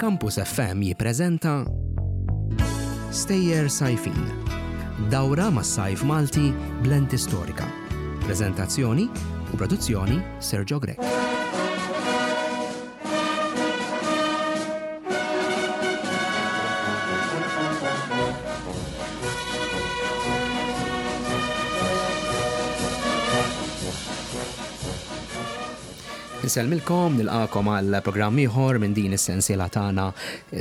Campus FM jippreżenta Stejjer Sajfin. Dawra mas-sajf Malti b'lenti storika. Preżentazzjoni u produzzjoni Sergio Grech. Insellmilkom, nilqakom għal programm ieħor minn din is-sensiela tagħna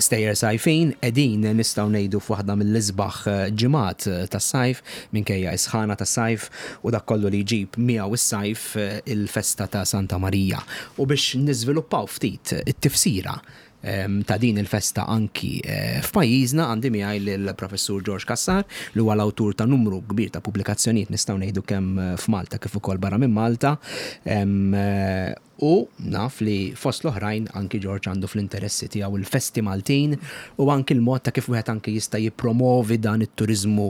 Stejjer Sajfin. Qegħdin nistgħu ngħidu f'waħda mill-isbaħ ġimgħat tas-sajf minkejja s-sħana tas-sajf u dak kollu li jġib miegħu s-sajf il-festa ta' Santa Marija. U biex niżviluppaw ftit it-tifsira ta' din il-festa anki f'pajjiżna għandi miegħi lill-Professur George Cassar li huwa l-awtur ta' numru kbir ta' pubblikazzjonijiet nistgħu ngħidu kemm f'Malta kif ukoll barra minn Malta. U naf li fost l-oħrajn anki George għandu fl-interessi tiegħu l-festi Maltin u anki l-mod ta' kif wieħed anki jista' jippromovi dan it-turiżmu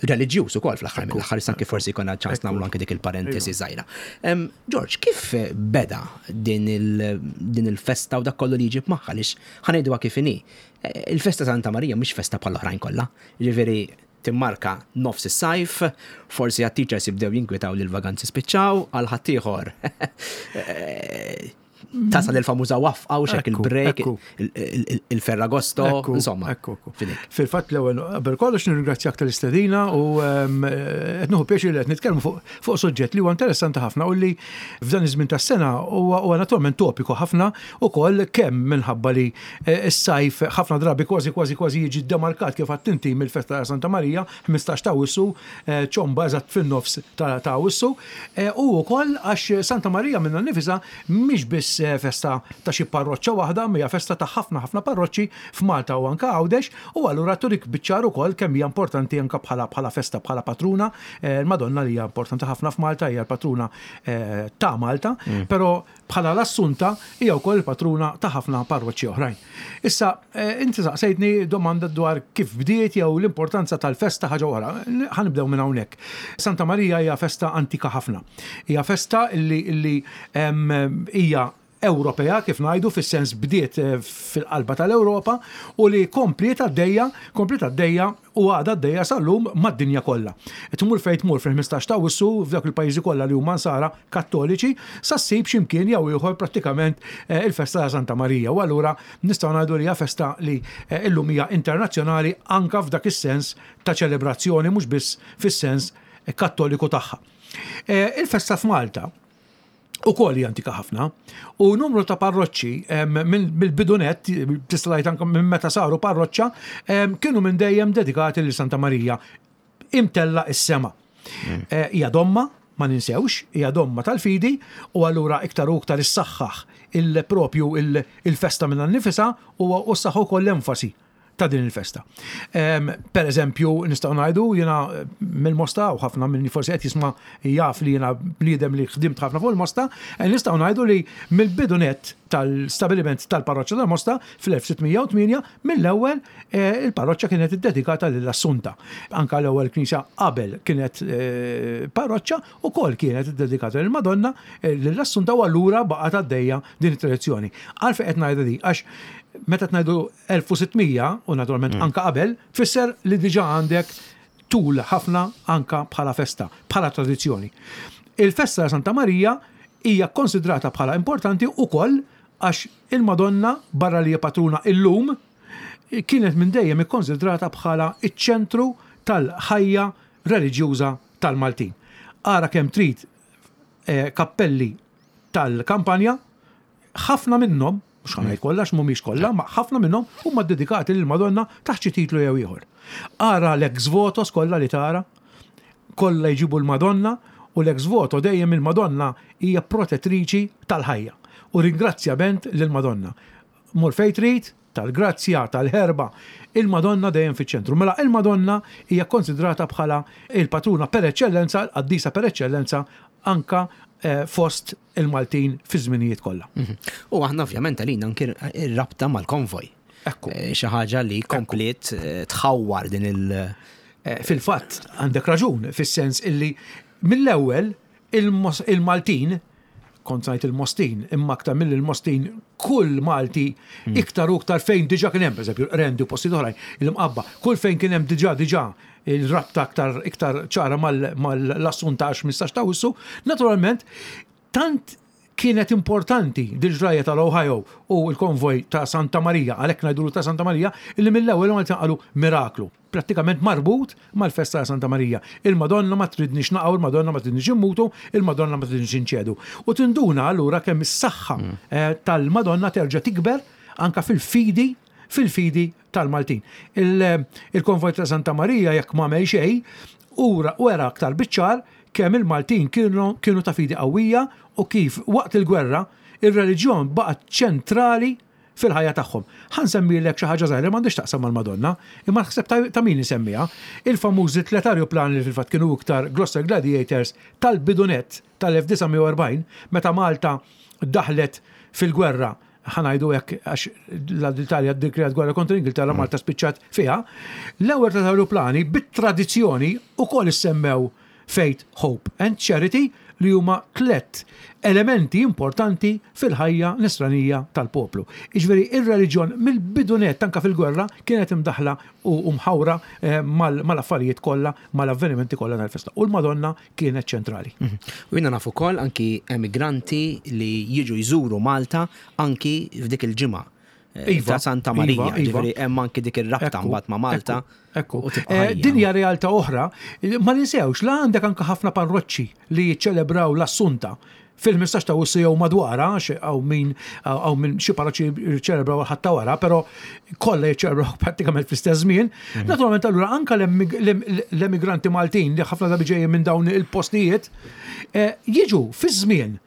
reliġjuż ukoll fl-aħħar mill-aħħar issa anki forsi jkollna ċans nagħmlu anki dik il-parentesi żgħira. George, kif beda din il-festa u dak kollu li jġib magħha għaliex ħa ngħiduha kif inhi. Il-festa Santa Marija mhix festa bħall-oħrajn kollha. Jiġifieri timmarka nofs is-sajf, forsi għat-teachers jibdew jinkwitaw li l-vaganzi spiċċaw, għal ħaddieħor tasal il-famuża wafqa u xek il-break, il-ferragosto, insomma. Fil-fatt l-ewwel qabel kollox nirringrazzjak tal-istedina u ehm, qed nieħu pjaċir li qed nitkellmu fuq suġġett li huwa interessanti ħafna u li f'dan iż-żmien tas-sena huwa naturalment topiku ħafna ukoll kemm minħabba li Is-sajf ħafna drabi kważi kważi kważi jiġi ddemarkat kif għedt inti mill-festa ta' Santa Marija, 15 ta' Awwissu, ċomba eżatt fin-nofs ta' Awwissu, u wkoll għax Santa Marija minnha nnifisha mhix biss festa ta' xi parroċċa waħda, imma hija festa ta' ħafna ħafna parroċċi f'Malta u anke Għawdex, u allura turik biċ-ċar ukoll kemm hija importanti anke bħala bħala festa, bħala patruna, l-Madonna li hija importanti ħafna f'Malta, hija l-patruna ta' Malta, però Bħala l-Assunta, hija wkoll il-patruna ta' ħafna parroċċi oħrajn. Issa, inti saqsejtni domanda dwar kif bdiet jew l-importanza tal-festa ħaġa oħra. Ħa nibdew minn hawnhekk. Santa Marija hija festa antika ħafna. Hija festa li li hija Ewropea kif ngħidu fis-sens bdiet fil-qalba tal-Ewropa u li kompliet għaddejja, kompliet għaddejja u għadha għaddejja sal-lum mad-dinja kollha. Tmur fejn tmur fil-15 ta' Awwissu f'dawk il-pajjiżi kollha li huma Nsara Kattoliċi sa ssib xi mkien jew ieħor prattikament il-festa ta' Santa Marija u allura nistgħu ngħidu li hija festa li llum hija internazzjonali anke f'dak is-sens ta' ċelebrazzjoni mhux biss fis-sens Kattoliku tagħha. Il-festa f'Malta ukoll hija antika ħafna. U numru ta' parroċċi mill-bidu nett, tista' tgħid anke minn meta saru parroċċa, kienu minn dejjem dedikati lil Santa Marija imtella is-sema. Mm. Eh, hija domma, ma ninsewx, hija domma tal-fidi u allura iktar u iktar issaħħaħ il-propju il-festa minn nifisa u s-saħħu ukoll l-enfasi ta' din il-festa. Per eżempju, nistgħu ngħidu jiena eh, mill-Mosta u ħafna minn forsi qed jisma' jaf li jiena bniedem li ħdimt ħafna fuq il-Mosta, eh, nistgħu ngħidu li mill-bidu net tal-stabiliment tal-parroċċa tal-Mosta fl-1608 mill-ewwel eh, il-parroċċa kienet iddedikata lill-Assunta. Anka l-ewwel knisja qabel kienet parroċċa ukoll kienet iddedikata lill-Madonna lill-Assunta u allura baqgħet għaddejja din it-tradizzjoni. Għalfejn qed ngħidha di għax meta ngħidu 1600 u naturalment mm. anka qabel, tfisser li diġà għandek tul ħafna anka bħala festa, bħala tradizzjoni. Il-festa ta' Santa Marija hija konsidrata bħala importanti ukoll għax il-Madonna barra li patruna illum kienet minn dejjem ikkonsidrata bħala iċ-ċentru tal-ħajja reliġjuża tal-Maltin. Ara kemm trid eh, kappelli tal-kampanja Ħafna minnhom, mhux ħa ngħid kollha għax mhumiex kollha, ma ħafna minnhom huma ddedikati lill-Madonna taħt xi titlu jew ieħor. Ara l-ex votos kollha li tara, kollha jġibu l-Madonna u l-ex voto dejjem il-Madonna hija protettriċi tal-ħajja. U ringrazzjament lill-Madonna. Mur fejn trid, tal-grazzja, tal-ħerba, il-Madonna dejjem fiċ-ċentru. Mela il-Madonna hija kkonsidrata bħala il-patruna per eċċellenza, il-qaddisa per eċċellenza anka eh, fost il-Maltin fi żminijiet kollha. Mhm. U aħna ovvjament għalina anki r-rabta mal-konvoj. Ekku. Eh, xi ħaġa li kompliet eh, tħawwar din il- Fil-fatt għandek raġun fis-sens illi mill-ewwel il-Maltin kont ngħid il-Mostin, imma aktar mill il-Mostin kull Malti iktar u iktar fejn diġà kien hemm, pereżempju, Rendi u postijiet oħrajn, il-Mqabba, kull fejn kien hemm diġà diġà il-rabta aktar iktar ċara mal-Assunta għax 15 ta' Awwissu, naturalment tant kienet importanti dil-ġrajja tal-Ohio u l-konvoj ta' Santa Marija, għalhekk ngħidulu ta' Santa Marija, illi mill-ewwel Maltin qalu miraklu, prattikament marbut mal-festa ta' Santa Marija. Il-Madonna ma tridniex naqgħu, il-Madonna ma tridniex immutu, il-Madonna ma tridniex inċedu. U tinduna allura kemm is-saħħa tal-Madonna terġa' tikber anka fil-fidi fil-fidi tal-Maltin. Il-konvoj ta' Santa Marija jekk ma għamel xejn, ura wera aktar biċ-ċar kemm il-Maltin kienu kienu ta' fidi qawwija u kif waqt il-gwerra ir-reliġjon baqgħet ċentrali fil-ħajja tagħhom. Ħa nsemmilek xi ħaġa żgħira li m'għandhiex x'taqsam mal-Madonna, imma naħseb ta' min isemmiha, il-famużi tliet arjuplani li fil-fatt kienu iktar Gloster Gladiators tal-bidu nett tal-1940 meta Malta daħlet fil-gwerra ħa ngħidu hekk għax l-Italja ddikjarat gwerra kontra l-Ingilterra Malta spiċċat fiha, l-ewwel ta' aeroplani bit-tradizzjoni ukoll issemmew Faith, Hope and Charity li huma tlett elementi importanti fil-ħajja nisranija tal-poplu. Jiġifieri ir-reliġjon mill-bidu nett anke fil-gwerra kienet imdaħħla u mħawra eh, mal-affarijiet kollha, mal-avvenimenti kollha tal-festa. U l-Madonna kienet ċentrali. U jiena naf ukoll anki emigranti li jiġu jżuru Malta anki f'dik il-ġimgħa eh, iva, ta' Santa Marija, iva, iva. ġifieri hemm anki dik ir-rabta mbagħad ma' Malta. Ekku. Eh, din hija realtà oħra, ma ninsewx la għandek anke ħafna parroċċi li jiċċelebraw l-Assunta fil-15 ta' Awwissu jew madwarha, għax hawn min hawn min xi parroċċi jiċċelebraw il-Ħadd ta' wara, però kollha jiċċelebraw prattikament fl-istess żmien. Naturalment allura anke l-emigranti Maltin li ħafna drabi ġejjin minn dawn il-postijiet eh, jiġu fiż-żmien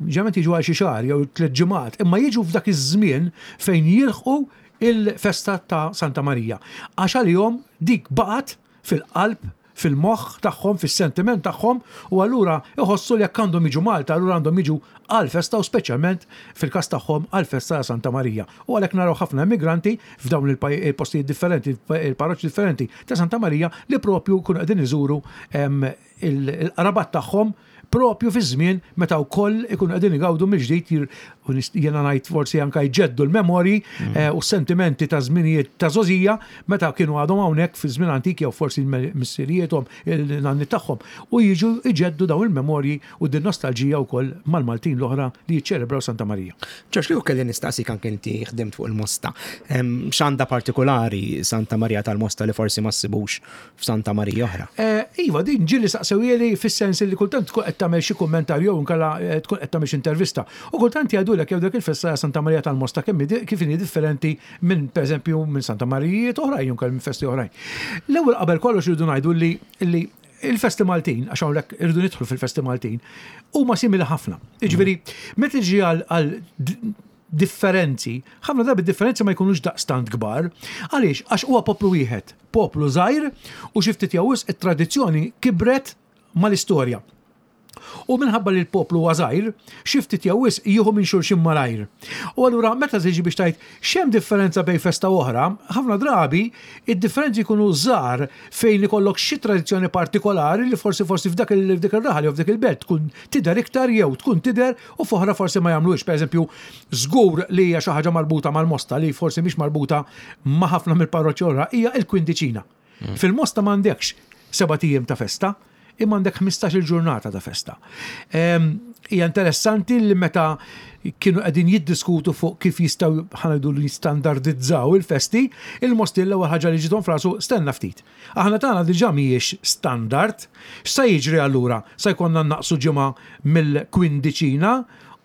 ġeneralment jiġu għal xi xahar jew tliet ġimgħat, imma jiġu f'dak iż-żmien fejn jilħqu il-festa ta' Santa Marija. Għax għalihom dik baqgħet fil-qalb, fil-moħħ tagħhom, fis-sentiment tagħhom u allura iħossu li jekk għandhom jiġu Malta allura għandhom jiġu għall-festa u speċjalment fil-każ tagħhom għall-festa ta' Santa Marija. U għalhekk naraw ħafna immigranti f'dawn il-postijiet differenti, il-parroċċi differenti ta' Santa Marija li propju jkunu qegħdin iżuru il-qrabat tagħhom propju fi żmien meta wkoll ikunu qegħdin igawdu mill-ġdid u jiena ngħid forsi anke jġeddu l-memorji mm. eh, u s-sentimenti ta' żminijiet ta' żożija meta kienu għadhom hawnhekk fi żmien antik jew forsi missirijiethom il-nanni tagħhom u jiġu jġeddu dawn il-memorji u din nostalġija wkoll mal-Maltin l-oħra li jiċċelebraw Santa Marija. Ġorġ, li kelli nistaqsik anke inti ħdimt fuq il-Mosta. X'għandha partikolari Santa Marija tal-Mosta li forsi ma ssibux f'Santa Marija oħra. Eh, iva, din ġieli saqsewhieli fis-sens li kultant tkun qed tagħmel xi kummentarju jew inkella eh, tkun qed tagħmel xi intervista. U kultant jgħidulek jew dak il-festa Santa Marija tal-Mosta kemm kif inhi differenti minn pereżempju minn Santa Marijiet oħrajn jew minn festi oħrajn. L-ewwel qabel kollox irridu ngħidu li il-festi Maltin, għax hawnhekk irridu nidħlu fil-festi Maltin, huma simili ħafna. Jiġifieri, meta tiġi għal differenzi, ħafna drabi differenzi ma jkunux daqstant kbar. Għaliex? Għax huwa poplu wieħed, poplu żgħir u xi ftit jew wisq it-tradizzjoni kibret mal-istorja. U minħabba li l-poplu huwa żgħir, xi ftit jew wisq jieħu minn xulxin malajr. U allura meta tiġi biex tgħid x'hemm differenza bejn festa u oħra, ħafna drabi id-differenzi jkunu żgħar fejn ikollok xi tradizzjoni partikolari li forsi forsi f'dak ir-raħal jew f'dik il-belt tkun tidher iktar jew tkun tidher u f'oħra forsi ma jagħmluhiex. Pereżempju, żgur li hija xi ħaġa marbuta mal-Mosta li forsi mhix marbuta ma' ħafna mill-parroċċi oħra hija l-kwindiċina. Mm. Fil-Mosta m'għandekx sebat ijiem ta' festa, imma għandek 15-il ġurnata ta' festa. Ehm, hija interessanti li meta kienu qegħdin jiddiskutu fuq kif jistgħu ħanajdu li jistandardizzaw il-festi, il-Mosti l-ewwel ħaġa li ġiethom frasu stenna ftit. Aħna tagħna diġà mhijiex standard. X'sa jiġri allura? Sa jkollna nnaqqsu ġimgħa mill-kwindiċina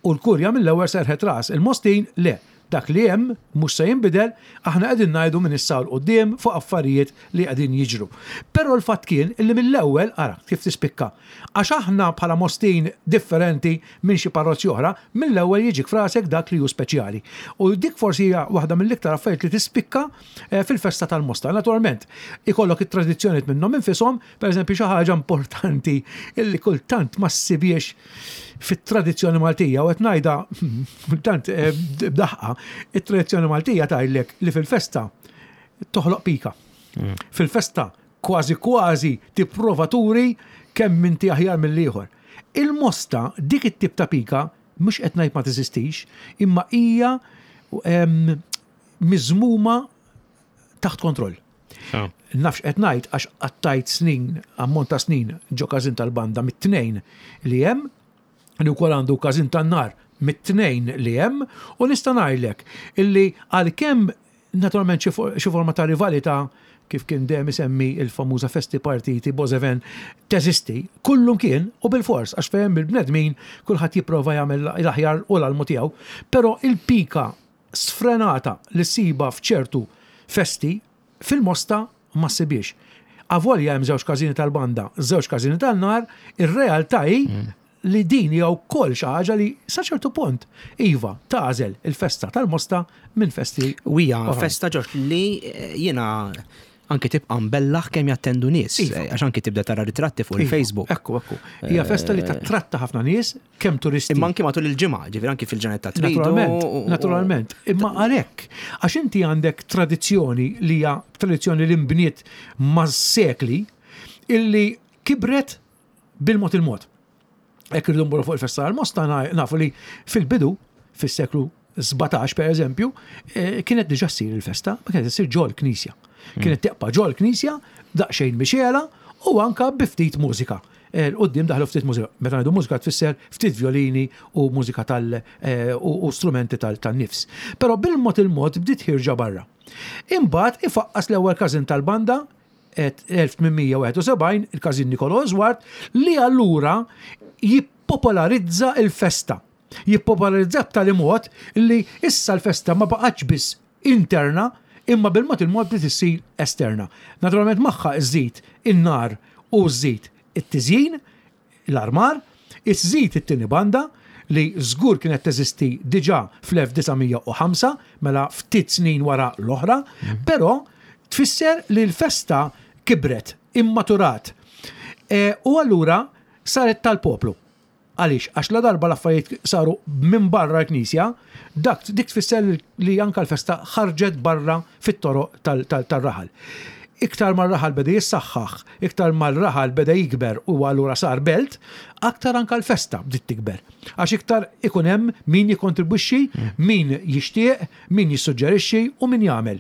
u l-Kurja mill-ewwel serħet ras il-Mostin le. Dak li hemm mhux se jinbidel, aħna qegħdin ngħidu minn issa 'l quddiem fuq affarijiet li qegħdin jiġru. Però l-fatt kien illi mill-ewwel, ara kif tispikka, għax aħna bħala Mostin differenti minn xi parroċċi oħra, mill-ewwel jiġik f'rasek dak li hu speċjali. U dik forsi hija waħda mill-iktar affarijiet li tispikka fil-festa tal-Mosta. Naturalment, ikollok it-tradizzjonijiet minnhom infishom, pereżempju xi ħaġa importanti illi kultant ma ssibhiex fit-tradizzjoni Maltija u qed ngħidha kultant eh, b'daħqa, it-tradizzjoni Maltija tgħidlek li fil-festa toħloq pika. Mm. Fil-festa kważi kważi tipprova turi kemm inti aħjar mill-ieħor. Il-mosta dik it-tip ta' pika Mhux qed ngħid ma teżistix, imma hija miżmuma taħt kontroll. Nafx qed ngħid għax qattajt snin, ammont ta' snin ġo każin tal-banda mit-tnejn li hemm, li wkoll għandu każin tan-nar mit-tnejn li hemm, u nista' ngħidlek illi għalkemm naturalment xi forma ta' rivalità kif kien dejjem isemmi il-famuża festi partiti Bozeven teżisti, kullum kien u bil-fors għax fejn il-bnedmin kulħadd jipprova jagħmel l-aħjar u l-almu tiegħu, però il-pika sfrenata li ssibha f'ċertu festi fil-Mosta ma ssibhiex. Avolja hemm żewġ każini tal-banda, żewġ każini tan-nar, ir-realtà hi li din hija wkoll xi ħaġa li sa ċertu punt, iva, tagħżel il-festa tal-Mosta minn festi. U hija festa Ġorġ li eh, jiena anki tibqa' mbellaħ kemm jattendu nies, iva. Eh, għax anki tibda tara ritratti fuq iva, il-Facebook. Ekku, ekku. Hija festa li eh, tattratta ħafna nies, kemm turisti. Imma anki matul il-ġimgħa, ġifieri anki fil-ġranet ta' tridu. Naturalment, naturalment. Imma għalhekk, għax inti għandek tradizzjoni li hija tradizzjoni li nbniet mas-sekli illi kibret bil-mod il-mod. Hekk irridu nmorru fuq il-festa tal-Mosta nafu li fil-bidu, fis-seklu 17 per eżempju, eh, kienet diġà ssir il-festa, ma kienet issir ġol knisja. Hmm. Kienet teqpa ġol knisja, daqsxejn mixela u anka bi ftit mużika. Eh, l-qoddim daħlu ftit mużika. Meta ngħidu mużika tfisser ftit violini u mużika tal eh, u strumenti tal-nifs. Però bil-mod il-mod bdiet ħirġa barra. Imbagħad ifaqqas l-ewwel każin tal-banda 1871, il-Każin Nicolò Oswald, li allura jippopolarizza il-festa. Jippopolarizza b'tali mod li issa l-festa ma baqgħetx biss interna, imma bil-mod il-mod bdiet issir esterna. Naturalment magħha żżid in-nar u żżid it-tiżjin, l-armar, iżżid it-tieni banda li żgur kienet teżisti diġà fl-1905, mela ftit snin wara l-oħra, però tfisser li l-festa kibret, immaturat. E, u allura saret tal-poplu. Għaliex? Għax la darba l-affarijiet saru minn barra l-knisja, dak dik tfisser li anka l-festa ħarġet barra fit-toroq tal-raħal. Iktar ma r-raħal beda jissaħħaħ, iktar ma r-raħal beda jikber u allura sar belt, aktar anka l-festa bdiet tikber. Għax iktar ikun hemm min jikkontribwixxi, min jixtieq, min jissuġġerixxi u min jagħmel.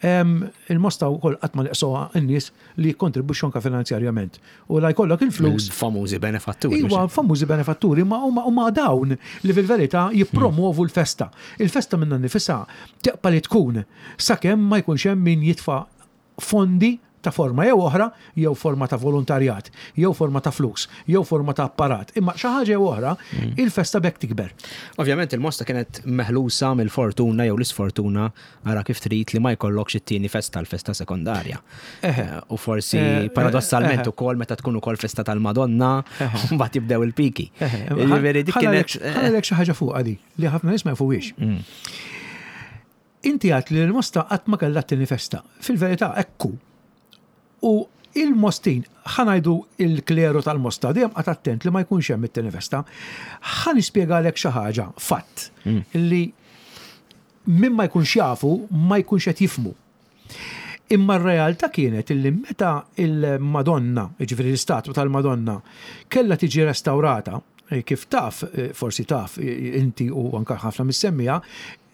Il-Mosta wkoll qatt ma neqsuha n-nies li jikkontribwixxu anke finanzjarjament. U la jkollok il-flus. Famużi benefatturi. Iwa, famużi benefatturi, ma huma dawn li fil-verità jippromovu l-festa. Il-festa minnha nnifisha teqpa' li tkun sakemm ma jkunx hemm min jitfa' fondi ta' forma jew oħra, jew forma ta' volontarjat, jew forma ta' flus, jew forma ta' apparat. Imma xi ħaġa jew oħra, mm. il-festa bekk tikber. Ovvjament il-Mosta kienet meħlusa mill-fortuna jew l-isfortuna ara kif trid li ma jkollokx it-tieni festa l-festa sekondarja. Eh, u forsi eh, paradossalment ukoll meta tkun ukoll festa tal-Madonna, mbagħad jibdew il-piki. Jiġifieri dik kienet. Ħalek xi ħaġa fuq di li ħafna nies ma jafuhiex. Mm. Inti għat li l-Mosta qatt ma kellha t-tieni festa. Fil-verità ekku. U il-Mostin, ħanajdu il-kleru tal-Mosta, dejjem qgħad attent li ma jkunx hemm it-tieni festa. Ħa nispjegalek xi ħaġa, fatt, mm. li min ma jkunx jafu ma jkunx qed jifhmu. Imma r-realtà kienet illi meta il-Madonna, jiġifieri l-istatwa tal-Madonna, kellha tiġi restawrata, eh, kif taf, eh, forsi taf eh, inti u anka ħafna mis-semmija,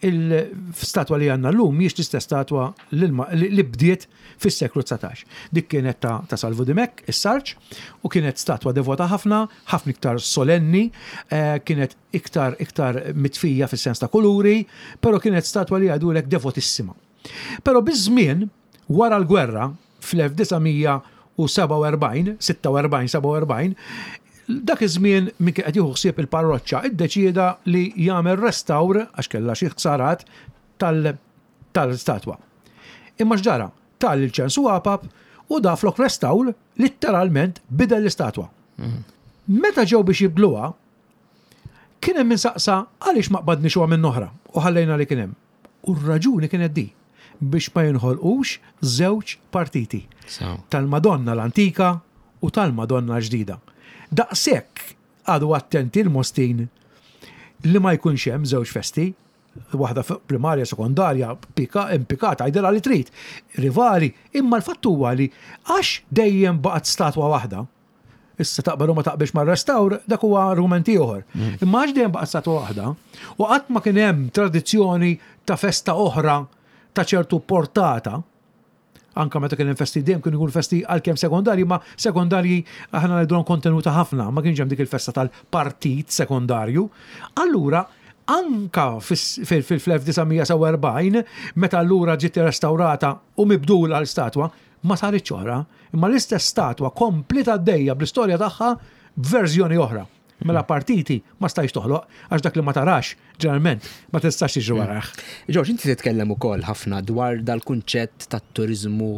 il-statwa li għandna llum mhijiex l-istess statwa li bdiet fis-seklu 19. Dik kienet ta', ta Salvu Dimech, is-Sarġ, u kienet statwa devota ħafna, ħafna iktar solenni, kienet iktar iktar mitfija fis-sens ta' kuluri, però kienet statwa li jgħidulek devotissima. Però biż-żmien, wara l-gwerra, fl-1947, 46, 47, dak iż-żmien min kien qed jieħu ħsieb il-parroċċa iddeċieda li jagħmel restawr għax kellha xi ħsarat tal-statwa. Imma x'ġara? Ta lil Ċensu Apap u da flok restawr litteralment bidel l-istatwa. Mm. Meta ġew biex jibdluha, Kien hemm min saqsa għaliex ma qbadniex u għamilna oħra u ħallejna li kien hemm. U r-raġuni kienet di, biex ma jinħolqux żewġ partiti. Tal-Madonna l-antika u tal-Madonna l-ġdida. Daqshekk qagħdu attenti l-Mostin li ma jkunx hemm żewġ festi, waħda primarja, sekondarja, impikata, għidilha li trid, rivali, imma l-fatt huwa li għax dejjem baqgħet statwa waħda, Issa taqbel u ma taqbilx mar-restawr, dak huwa argument ieħor. Imma għax dejjem baqgħet statwa waħda, u qatt ma kien hemm tradizzjoni ta' festa oħra ta' ċertu portata, anka meta kien hemm festi dejjem kienu jkunu festi għalkemm sekondarji, ma sekondarji aħna ngħidulhom kontenuta ħafna, ma kienx hemm dik il-festa tal-partit sekondarju. Allura, anka fil-1947, meta allura ġiet restawrata u mibdula l-statwa, ma saritx oħra, imma l-istess statwa kompliet għaddejja bl-istorja tagħha b'verżjoni oħra. Mela partiti ma stajx toħloq, għax dak li ma tarax, ġeneralment, ma tistax tiġri warajh. Ġorġ, inti titkellem ukoll ħafna dwar dal-kunċett tat-turiżmu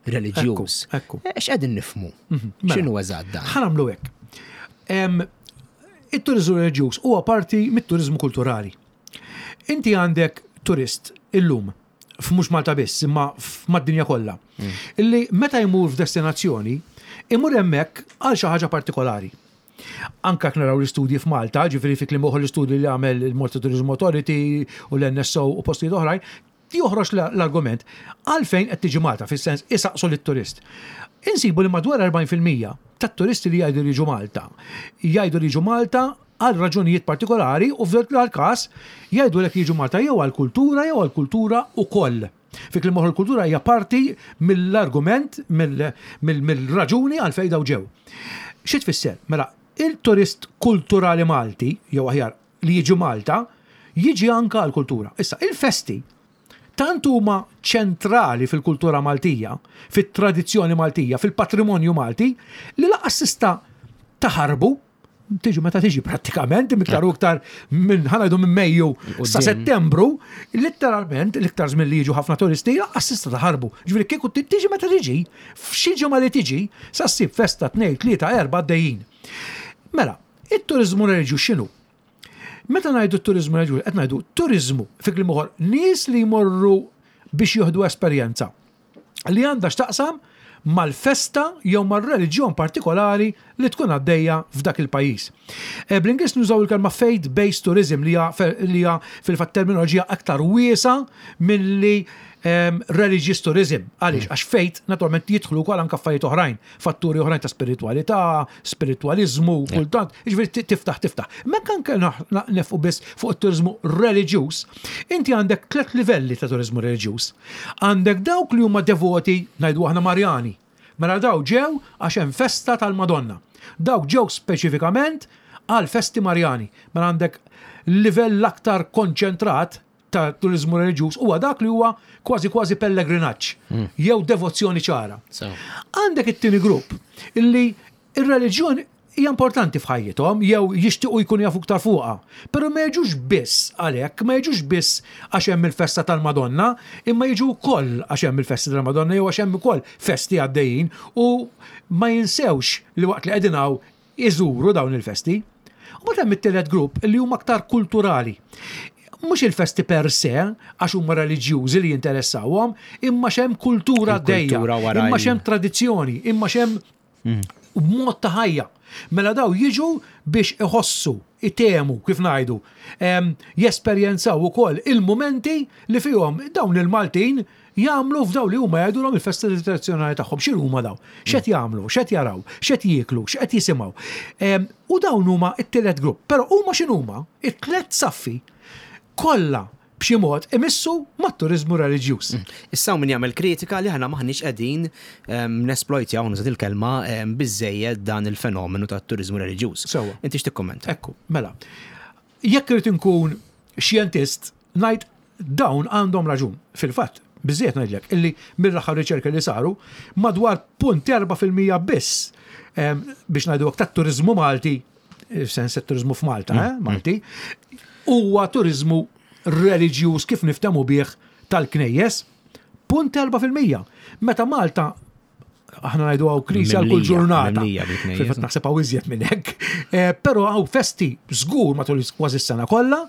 reliġjuż. Ekku. Eh, x'qegħdin nifhmu? Mhm, mela. X'inhu eżatt dan? Ħa nagħmlu hekk. It-turiżmu reliġjuż huwa parti mit-turiżmu kulturali. Inti għandek turist illum, f'mhux Malta biss, imma mad-dinja kollha, illi meta jmur f'destinazzjoni, imur hemmhekk għal xi ħaġa partikolari. Anka jekk naraw l-istudji f'Malta, ġifieri fi kliem oħra l-istudji li għamel il-Malta Tourism Authority u l-NSO u postijiet oħrajn, joħroġ l-argument għalfejn qed tiġi Malta, fis-sens isaqsu lit-turist. Insibu li madwar 40% tat-turisti li jgħidu li jiġu Malta, jgħidu li jiġu Malta għal raġunijiet partikolari u f'dak il-każ jgħidulek jiġu Malta jew għall-kultura jew għall-kultura ukoll. Fi kliem oħra l-kultura hija parti mill-argument, mill-raġuni għalfejn daw ġew. Xi tfisser? Mela, il-turist kulturali Malti, jew aħjar li jiġi Malta, jiġi anka għall-kultura. Issa, il-festi tant huma ċentrali fil-kultura Maltija, fit-tradizzjoni Maltija, fil-patrimonju Malti, li lanqas tista' taħarbu tiġi meta tiġi prattikament, iktar u iktar minn ħanajdu minn Mejju sa Settembru, letteralment l-iktar żmien li jiġu ħafna turisti lanqas tista' taħarbu. Ġifieri kieku tiġi meta tiġi, f'xi ġimgħa li tiġi, sa ssib festa tnejn, tlieta, erba' għaddejjin. Mela, it-turiżmu reliġjuż x'inhu? Meta ngħidu t-turiżmu reliġjuż, qed ngħidu turiżmu fi kliem ieħor nies li jmorru biex jieħdu esperjenza li għandha x'taqsam mal-festa jew mar-reliġjon partikolari li tkun għaddejja f'dak il-pajjiż. Eh, bl-Ingliż nużaw il-kelma faith-based tourism li hija fil-fatt terminoloġija aktar wiesa milli ehm, religious tourism. Għaliex, mm. għax faith naturalment jidħlu wkoll anke affarijiet oħrajn, fatturi oħrajn ta' spiritualità, spiritualizmu, kultant, jiġifieri tiftaħ tiftaħ. Mekk anke nefqu biss fuq it-turizmu reliġjuż, inti għandek tliet livelli ta' turizmu reliġjuż. Għandek dawk li huma devoti, ngħidu aħna Marjani. Mela daw ġew għax hemm festa tal-Madonna. Dawk ġew speċifikament għal festi Marjani. Mela għandek livell aktar konċentrat ta' turiżmu reliġjuż huwa dak li huwa kważi kważi pellegrinaġġ hmm. jew devozzjoni ċara. Għandek it-tieni grupp illi ir-reliġjon hija importanti f'ħajjithom jew jixtiequ jkunu jafu iktar fuqha. Però ma jiġux biss għalhekk, ma jiġux biss għax hemm il-festa tal-Madonna, imma jiġu wkoll għax hemm il-festa tal-Madonna jew għax hemm ukoll festi għaddejjin u ma jinsewx li waqt li qegħdin hawn iżuru dawn il-festi. U mbagħad hemm it-tielet grupp li huma aktar kulturali. Mhux il-festi per se, għax huma reliġjużi li jinteressawhom, imma x'hemm kultura għaddejja, imma x'hemm tradizzjoni, imma x'hemm mm. mod ta' ħajja. Mela daw jiġu biex iħossu, itemu, kif ngħidu, jesperjenzaw ukoll il-mumenti li fihom dawn il-Maltin jagħmlu f'dawn li huma jgħidulhom il-festi tradizzjonali tagħhom. X'inhu huma dawn? X'qed jagħmlu? X'qed jaraw? X'qed jieklu? X'qed jisimgħu? U dawn huma t-tielet grupp. Però huma x'inhuma? It-tliet saffi kollha b'xi mod imissu mat-turiżmu reliġjuż. Mm. Issa min jagħmel kritika li aħna maħniex qegħdin nesplojtjaw nużat il-kelma biżejjed dan il-fenomenu tat-turiżmu reliġjuż. Sewwa. Inti x'tikkummenta? Ekku, mela. Jekk irid inkun xjentist, ngħid dawn għandhom raġun. Fil-fatt, biżżejjed ngħidlek illi mill-aħħar riċerki li saru, madwar 0.4% biss biex ngħidu hekk tat-turiżmu Malti, f'sens turiżmu f'Malta, mm. eh, Malti, huwa turiżmu reliġjuż kif niftehmu bih tal-knejjes, 0.4%. Meta Malta aħna ngħidu hawn knisja għal kull ġurnata. Fil-fatt naħseb hawn iżjed minn hekk. Eh, però hawn festi żgur matul kważi s-sena kollha.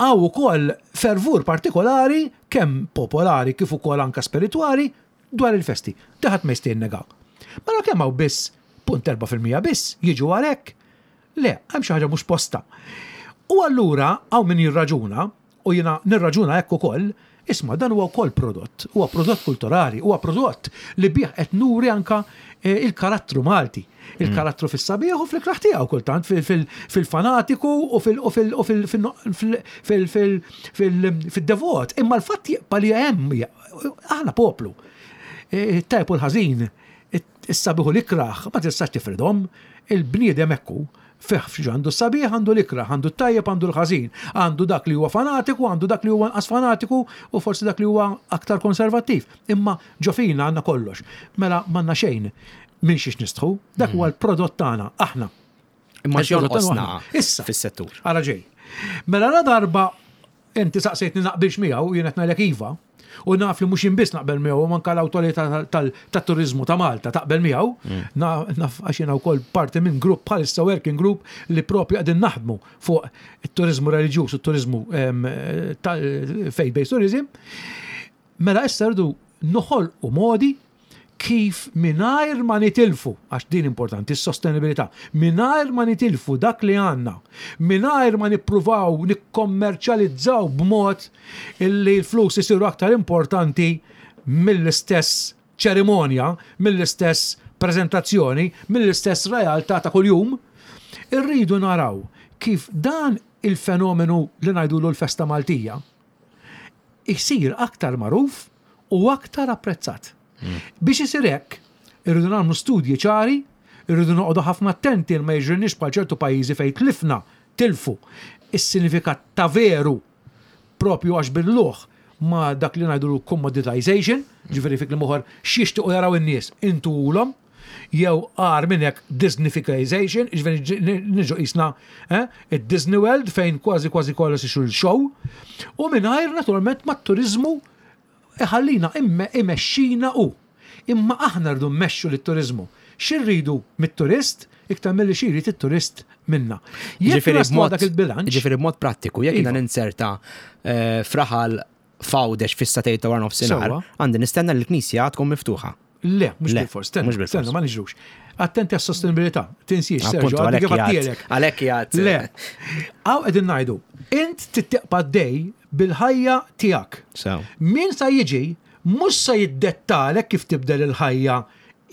Hawn ukoll fervur partikolari kemm popolari kif ukoll anka spiritwali dwar il-festi. Daħat ma jista' jinnega. Mela kemm hawn biss punt 4% biss jiġu għalhekk. Le, hemm xi ħaġa mhux posta. U allura hawn min jirraġuna u jiena nirraġuna hekk ukoll, Isma' dan huwa wkoll prodott, huwa prodott kulturali, huwa prodott li bih qed nuri anka eh, il-karattru Malti. Il-karattru fis-sabiħ u fl-ikraħ tiegħu kultant fil-fanatiku u fil-devot. Imma l-fatt jibqa' li hemm aħna poplu. Eh, it-tajb u l-ħażin, is-sabiħ u l-ikraħ, ma tistax tifridhom, il-bniedem ekku. Fih f'xi għandu s-sabiħ, għandu l-ikrah, għandu t-tajjeb, għandu l-ħażin, għandu dak li huwa fanatiku, għandu dak li huwa anqas fanatiku u forsi dak li huwa aktar konservattiv. Imma ġo fina għandna kollox. Mela m'għandna xejn minn xiex nistħu, dak huwa l-prodott tagħna, aħna. Imma x'jonqosna issa fis-settur. Ara ġej. Mela la darba Inti saqsejtni naqbilx miegħu, jien qed ngħidlek iva. U naf li mhux jien biss naqbel miegħu, u anke l-Awtorità tat-Turiżmu ta' Malta taqbel miegħu. Mm. Naf għax jiena wkoll parti minn grupp bħalissa working group li propju qegħdin naħdmu fuq it-turiżmu reliġjuż u t-turiżmu faith-based tourism. Mela issa rridu noħolqu modi kif mingħajr ma nitilfu, għax din importanti, s-sostenibilità, mingħajr ma nitilfu dak li għandna, mingħajr ma nippruvaw nikkommerċjalizzaw b'mod illi l-flus isiru aktar importanti mill-istess ċerimonja, mill-istess preżentazzjoni, mill-istess realtà ta' kuljum, irridu naraw kif dan il-fenomenu li ngħidulu l-festa Maltija, isir aktar magħruf u aktar apprezzat. Hmm. Biex isir hekk, irridu nagħmlu studji ċari, irridu noqogħdu ħafna attenti ma jiġrilniex bħal ċertu pajjiżi fejn tlifna tilfu is-sinifikat ta' veru propju għax billuh ma dak li ngħidu commoditization, ġifieri fi kliem ieħor x'jixtiequ jaraw in-nies intulhom jew agħar minn hekk Disneyfication, jiġifieri niġu qisna eh, id-Disney World fejn kważi kważi kollox ixu l-show, u mingħajr naturalment mat-turiżmu iħallina imexxina hu. Imma aħna rridu mmexxu lit-turiżmu. X'irridu mit-turist iktar milli xi jrid it-turist minna. Jekk naslu dak il-bilanċ. Ġifieri b'mod prattiku, jekk jiena iva. ninserta eh, fraħal f'Għawdex fis-satejn ta' waranofsinhar, għandi nistenna li l-knisja tkun miftuħa. Le, mhux bil-fors, stenna, stenna, ma niġrux. Attenti għas-sostenibilità, tinsiex, Sergio, għalhekk jgħid. Għalhekk jgħid. Le. Għaw qegħdin ngħidu, int tittiqpa dej bil-ħajja tiegħek. Min sa jiġi mhux sa jiddettalek kif tibdel il-ħajja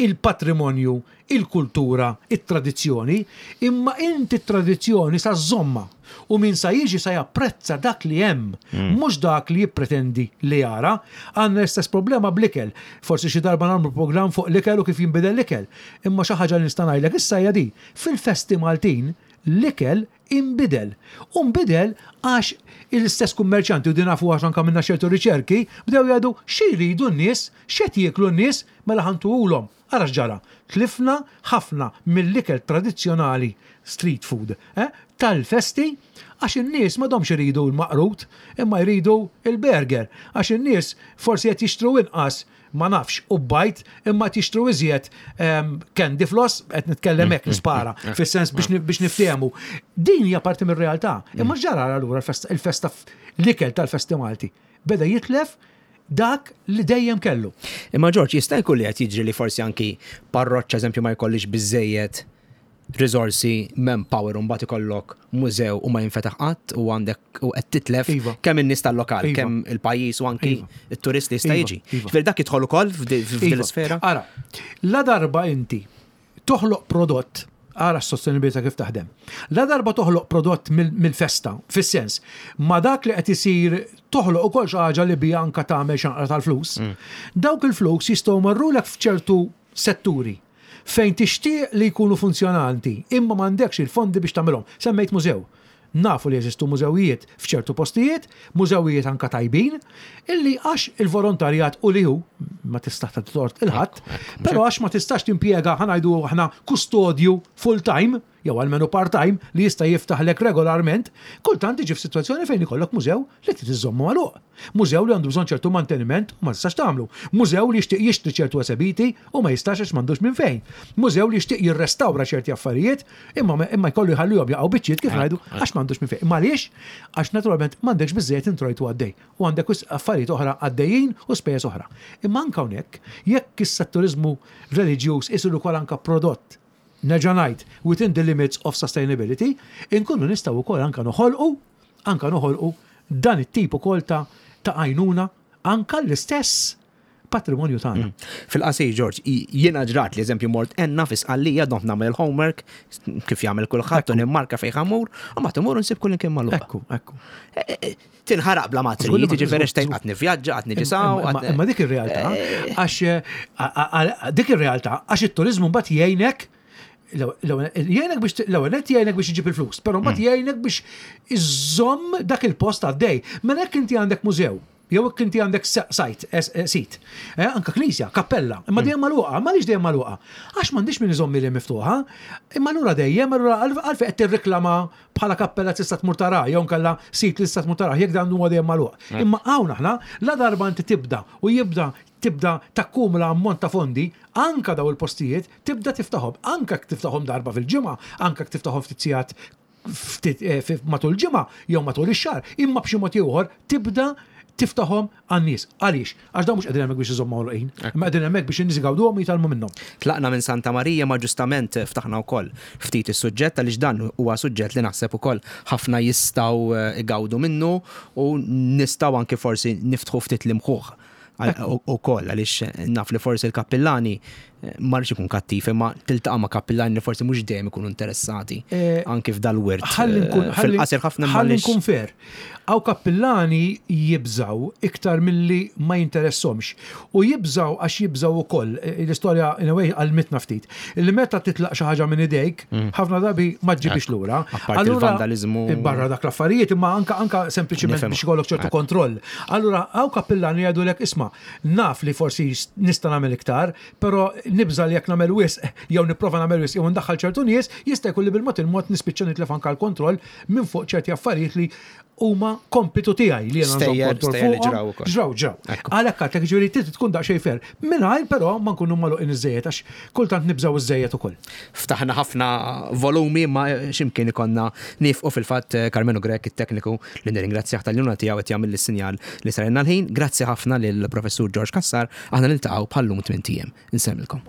il-patrimonju, il-kultura, it-tradizzjoni, imma inti t-tradizzjoni sa żżommha u min sa jiġi sa japprezza dak li hemm, mhux dak li jippretendi li jara. Għandna l-istess problema bl-ikel. Forsi xi darba nagħmlu programm fuq l-ikel u kif jinbidel l-ikel. Imma xi ħaġa li nista' ngħidlek issa hija din, fil-festi Maltin l-ikel inbidel. U nbidel għax l-istess kummerċjanti, u din nafu għax anke għamilna ċertu riċerki, bdew jgħidu xi jridu n-nies, x'qed jieklu n-nies, mela ħa ntuhulhom. Ara x'ġara, tlifna ħafna mill-ikel tradizzjonali, street food, eh, tal-festi għax in-nies m'għadhomx iridu l-maqrut imma jridu l-burger, għax in-nies forsi qed jixtru inqas ma nafx, u bajd, imma qed jixtru iżjed ehm, candy floss, qed nitkellem hekk nispara, mm, mm, mm. fis-sens biex niftehmu. Din hija parti mir-realtà. Imma ġara allura il-festa l-ikel tal-festi Malti beda jitlef dak li dejjem kellu. Imma Ġorġ, jista' jkun li qed jiġri li forsi anki parroċċa eżempju ma jkollix biżejjed riżorsi, manpower u mbagħad ikollok mużew u ma jinfetaħ qatt u għandek u qed titlef iva. kemm in-nies tal-lokal, iva. kemm il-pajjiż u anki iva. it-turist li jista' jiġi. Ġifieri dak jidħol ukoll f'din l-isfera. Ara, la darba inti toħloq prodott ara s-sostenibilità kif taħdem. La darba toħloq prodott mill-festa, fis-sens, ma dak li qed isir toħloq ukoll xi ħaġa li bija anka tagħmel xanqra tal-flus. Mm. Dawk il-flus jistgħu marrulek f'ċertu setturi fejn tixtieq li jkunu funzjonanti imma m'għandekx il-fondi biex tagħmilhom. Semmejt mużew. Nafu li jeżistu mużewijiet f'ċertu postijiet, mużewijiet anka tajbin, illi għax il-volontarjat u li hu, ma tista' tagħti tort il-ħadd, però għax ma tistax timpjega ħa ngħidu aħna kustodju full time, jew almenu part-time li jista' jiftaħlek regolarment, kultant tiġi f'sitwazzjoni fejn ikollok mużew li trid iżżommu magħluq. Mużew li għandu bżonn ċertu manteniment u ma tistax tagħmlu. Mużew li jixtieq jixtri ċertu esebiti u ma jistax għax m'għandux minn fejn. Mużew li jixtieq jirrestawra ċerti affarijiet imma imma jkollu jħallihom jaqgħu biċċiet kif ngħidu għax m'għandux minn fejn. Imma għaliex? Għax naturalment m'għandekx biżżejjed introjtu għaddej u għandek wisq affarijiet oħra għaddejjin u spejjeż oħra. Imma anke hawnhekk, jekk issa t-turiżmu reliġjuż isir ukoll anke prodott nerġa' ngħid, within the limits of sustainability, inkunu nistgħu wkoll anke noħolqu, anke noħolqu dan it-tip ukoll ta' ta' għajnuna. anka l-istess patrimonju tagħna. Fil-qasir, George, jiena ġrat li eżempju mort enna fi Sqallija domt nagħmel il-homework kif jagħmel kulħadd u nimmarka fejn ħamur, u ma timur nsib kull imkien magħluq. Ekku, ekku. E, e, e, tinħaraq bla ma trid, jiġifieri xtejn qatt nivvjaġġa, qatt niġi saw. Imma dik ir-realtà, għax dik ir-realtà għax it-turiżmu mbagħad jgħinek jgħinek biex l-ewwel nett jgħinek biex iġib il-flus, però mbagħad mm. jgħinek biex iżomm dak il-post għaddej. Mela jekk inti għandek mużew Jew jekk inti għandek sajt, sit, anka knisja, kappella, imma dejjem magħluqa, imma għaliex dejjem magħluqa? Għax m'għandix min iżomm li miftuħa, imma allura dejjem allura għalfejn qed tirriklama bħala kappella tista' tmur taraha jew inkella sit li tista' tmur tarah jekk dan huwa dejjem magħluq. Imma hawn aħna la darba inti tibda u jibda tibda takkumula ammont ta' fondi, anka daw il-postijiet tibda tiftaħhom, anka jekk tiftaħhom darba fil-ġimgħa, anka jekk tiftaħhom ftit sigħat ftit eh, matul ġimgħa jew matul ix-xahar, imma b'xi mod ieħor tibda tiftaħhom għan-nies. Għaliex? Għax dawn mhux qegħdin hemmhekk biex iżommu magħluqin, imma qegħdin hemmhekk biex in-nies igawduhom u jitgħallmu minnhom. Tlaqna minn Santa Marija ma ġustament ftaħna wkoll ftit is-suġġett għaliex dan huwa suġġett li naħseb ukoll ħafna jistgħu eh, igawdu minnu u nistgħu anki forsi niftħu ftit l-imħuħ ukoll għaliex naf li forsi l-kappillani eh, ma rridx ikun kattiv imma tiltaqa' ma' kappillani li forsi mhux dejjem ikunu interessati eh, anki f'dal-wirt. Eh, fil-qasir ħafna ħalli nkun fair. Hawn kappillani jibżaw iktar milli ma jinteressomx. U jibżaw għax jibżaw ukoll, l-istorja in a way għallmitna ftit, li meta titlaq xi ħaġa minn idejk, mm. ħafna drabi ma ġġibix lura. Apparti il-vandalizmu. Barra dak l-affarijiet, imma anka anka sempliċiment biex ikollok ċertu kontroll. Allura hawn kappillani jgħidulek isma' naf li forsi nista' nagħmel iktar, però nibża' li jekk nagħmel wisq jew nipprova nagħmel wisq jew ndaħħal ċertu nies, jista' jkun li bil-mod il-mod nispiċċa nitlef anke l-kontroll minn fuq ċerti affarijiet li huma kompitu tiegħi li jiena nżomm kontroll fuqhom. Ġraw, ġraw. Għalhekk għadlek ġifieri trid tkun daqsxejn fair. Mingħajr però ma nkunu magħluqin iżżejjed għax kultant nibżgħu iżżejjed ukoll. Ftaħna ħafna volumi imma x'imkien ikollna niefqu fil-fatt Karmenu Grech it-tekniku li nirringrazzjah tal-għinuna tiegħu qed jagħmilli s-sinjal li sarilna l-ħin. Grazzi ħafna lill-Professur George Cassar, aħna niltaqgħu bħal-lum tmint ijiem. Insellmilkom.